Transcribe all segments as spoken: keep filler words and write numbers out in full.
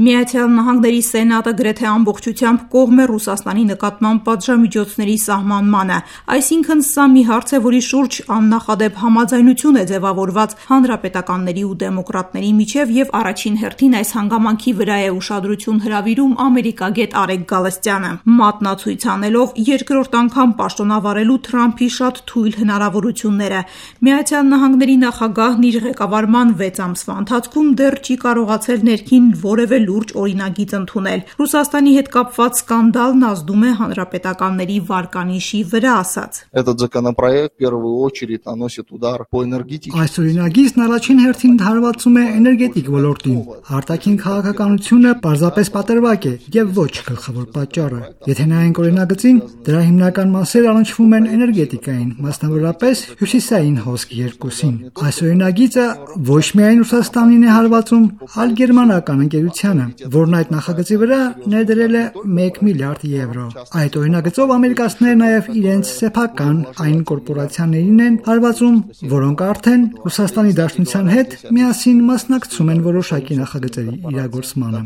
Միացյալ Նահանգների Սենատը գրեթե ամբողջությամբ կողմ է Ռուսաստանի նկատմամբ պատժամիջոցների սահմանմանը, այսինքն սա մի հարց է, որի շուրջ աննախադեպ համաձայնություն է ձևավորված հանրապետականների ու դեմոկրատների միջև և առաջին հերթին այս հանգամանքի վրա է ուշադրություն հրավիրում ամերիկագետ Արեգ Գալստյանը, մատնացույց անելով երկրորդ անգամ պաշտոնավարելու Թրամփի շատ թույլ հնարավորությունները։ Միացյալ Նահանգների նախագահն իր ղեկավարման վեց ամսվա ընթացքում դեռ չի կարողացել ներքին որևէ լուրջ օրինագիծ ընդունել։ Ռուսաստանի հետ կապված սկանդալն ազդում է հանրապետականների վարկանիշի վրա, ասաց. Этот законопроект в первую очередь наносит удар по энергетике. Այս օրինագիծն առաջին հերթին հարվածում է էներգետիկ ոլորտին։ Արտաքին քաղաքականությունը պարզապես պատրվակ է եւ ոչ գլխավոր պատճառը։ Եթե նայենք օրինագծին, դրա հիմնական մասերը առնչվում են էներգետիկային, մասնավորապես հյուսիսային հոսք երկուսին։ Այս օրինագիծը ոչ միայն Ռուսաստանին է հարվածում, այլ գերմանական ընկերությանը, որն այդ նախագծի վրա ներդրել է մեկ միլիարդ եվրո։ Այդ օրինագծով ամերիկացիները նաև իրենց սեփական այն կորպորացիաներին են հարվածում, որոնք արդեն Ռուսաստանի Դաշնության հետ միասին մասնակցում են որոշակի նախագծերի իրագործմանը։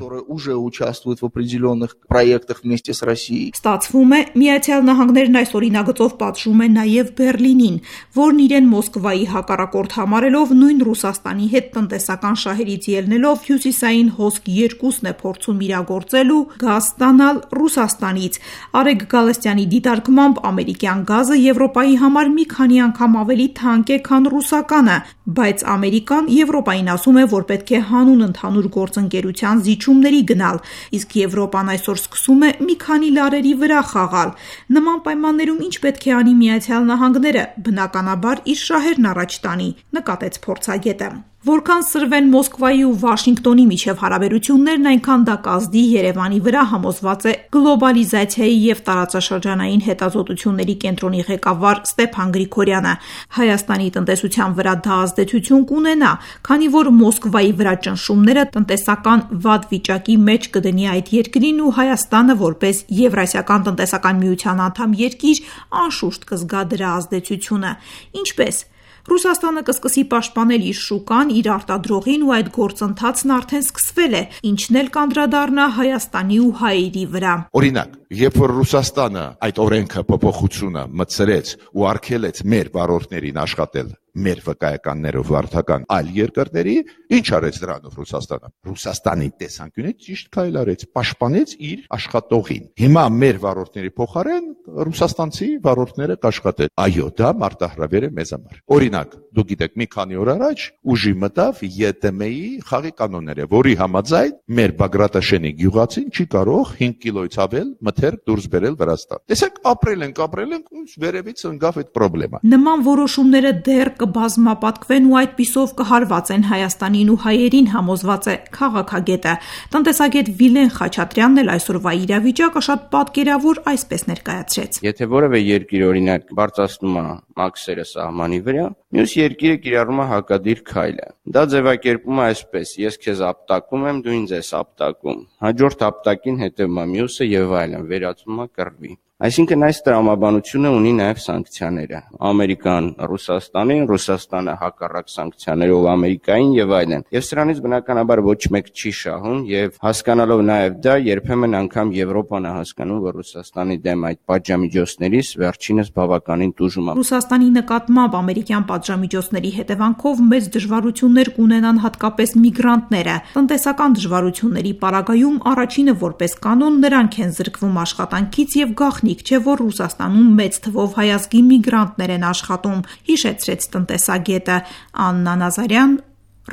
Ստացվում է, Միացյալ Նահանգներն այս օրինագծով պատժում է նաև Բեռլինին, որն իրեն Մոսկվայի հակառակորդ համարելով նույն Ռուսաստանի հետ տնտեսական շահերից ելնելով հյուսիսային հոսք երկուսն է փորձում իրագործելու գազ ստանալ Ռուսաստանից։ Արեգ Գալստյանի դիտարկմամբ ամերիկյան գազը Եվրոպայի համար մի քանի անգամ ավելի թանկ է, քան ռուսականը, բայց Ամերիկան Եվրոպային ասում է, որ պետք է հանուն ընդհանուր գործընկերության զիջումների գնալ, իսկ Եվրոպան այսօր սկսում է մի քանի լարերի վրա խաղալ։ Նման պայմաններում ինչ պետք է անի Միացյալ Նահանգները, բնականաբար իր շահերն առաջ տանի, նկատեց փորձագետը։ Որքան սրվեն Մոսկվայի ու Վաշինգտոնի միջև հարաբերություններն, այնքան դա կազդի Երևանի վրա, համոզված է գլոբալիզացիայի և տարածաշրջանային հետազոտությունների կենտրոնի ղեկավար Ստեփան Գրիգորյանը։ Հայաստանի տնտեսության վրա դա ազդեցություն կունենա, քանի որ Մոսկվայի վրա ճնշումները տնտեսական վատ վիճակի մեջ կդնի այդ երկրին ու Հայաստանը որպես Եվրասիական տնտեսական միության անդամ երկիր անշուշտ կզգա դրա ազդեցությունը։ Ինչպես Ռուսաստանը կսկսի պաշտպանել իր շուկան, իր արտադրողին ու այդ գործընթացն արդեն սկսվել է, ինչն էլ կանդրադառնա Հայաստանի ու հայերի վրա։ Օրինակ, երբ որ Ռուսաստանը այդ օրենքը փոփոխությունը մտցրեց ու արգելեց մեր վարորդներին աշխատել մեր վկայականներով վարդական այլ երկրների, ինչ արեց դրանով Ռուսաստանը։ Ռուսաստանի տեսանկյունից ճիշտ քայլ արեց, պաշտպանեց իր աշխատողին։ Հիմա մեր վարորդների փոխարեն ռուսաստանցի վարորդները կաշխատեն։ Այո, դա մարտահրավեր է մեզ համար։ Օրինակ, դուք գիտեք, մի քանի օր առաջ ուժի մտավ Ե Տ Մ-ի խաղի կանոնները, որի համաձայն մեր Բագրատաշենի գյուղացին չի կարող հինգ կիլոից ավել մթերք դուրս բերել Վրաստան։ Տեսեք, ապրել ենք, ապրել ենք, ու վերևից ընկավ այդ խնդրը։ Նման որոշումները դեռ կբազմապատկվեն ու այդպիսով կհարվածեն Հայաստանին ու հայերին, համոզված է քաղաքագետը։ Տնտեսագետ Վիլեն Խաչատրյանն էլ այսօրվա իրավիճակը շատ պատկերավոր այսպես ներկայացրեց։ Եթե որևէ երկիր օրինակ բարձրացնում է մաքսերը սահմանի վրա, մյուս երկիրը կիրառում է հակադիր քայլը։ Դա ձևակերպում է այսպես. ես քեզ ապտակում եմ, դու ինձ ես ապտակում։ Հաջորդ ապտակին հետևում է մյուսը եւ այլն, վերածվում է կռվի։ Այսինքն այս տրամաբանությունը ունի նաև սանկցիաները։ Ամերիկան Ռուսաստանին, Ռուսաստանը հակառակ սանկցիաներով Ամերիկային եւ այլն։ Եվ սրանից բնականաբար ոչ մեկ չի շահում եւ հասկանալով նաև դա երբեմն անգամ Եվրոպան է հասկանում, որ Ռուսաստանի դեմ այդ պատժամիջոցներից վերջինս բավականին տուժում է։ Ռուսաստանի նկատմամբ ամերիկյան պատժամիջոցների հետևանքով մեծ դժվարություններ կունենան հատկապես միգրանտները։ Տնտեսական դժվարությունների պարագայում առաջինը որպես կանոն նրանք են զրկվում աշխատանքից եւ գաղտնի չէ, որ Ռուսաստանում մեծ թվով հայազգի միգրանտներ են աշխատում, հիշեցրեց տնտեսագետը։ Աննա Նազարյան,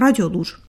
Ռադիոլուր։